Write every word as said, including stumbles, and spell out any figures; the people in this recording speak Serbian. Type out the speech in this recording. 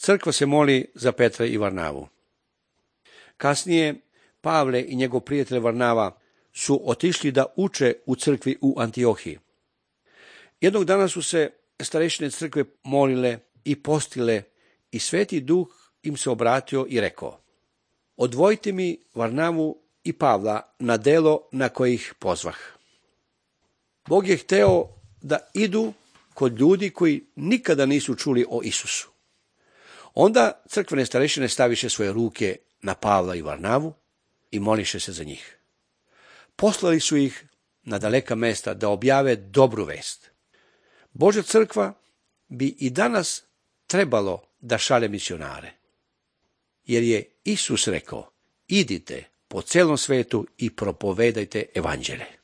Crkva se moli za Petra i Varnavu. Kasnije, Pavle i njegov prijatelj Varnava su otišli da uče u crkvi u Antiohiji. Jednog dana su se starešine crkve molile i postile i Sveti Duh im se obratio i rekao: odvojite mi Varnavu i Pavla na delo na koje ih pozvah. Bog je hteo da idu kod ljudi koji nikada nisu čuli o Isusu. Onda crkvene starešine staviše svoje ruke na Pavla i Varnavu i moliše se za njih. Poslali su ih na daleka mesta da objave dobru vest. Božja crkva bi i danas trebalo da šalje misionare, jer je Isus rekao: idite po celom svetu i propovedajte evanđelje.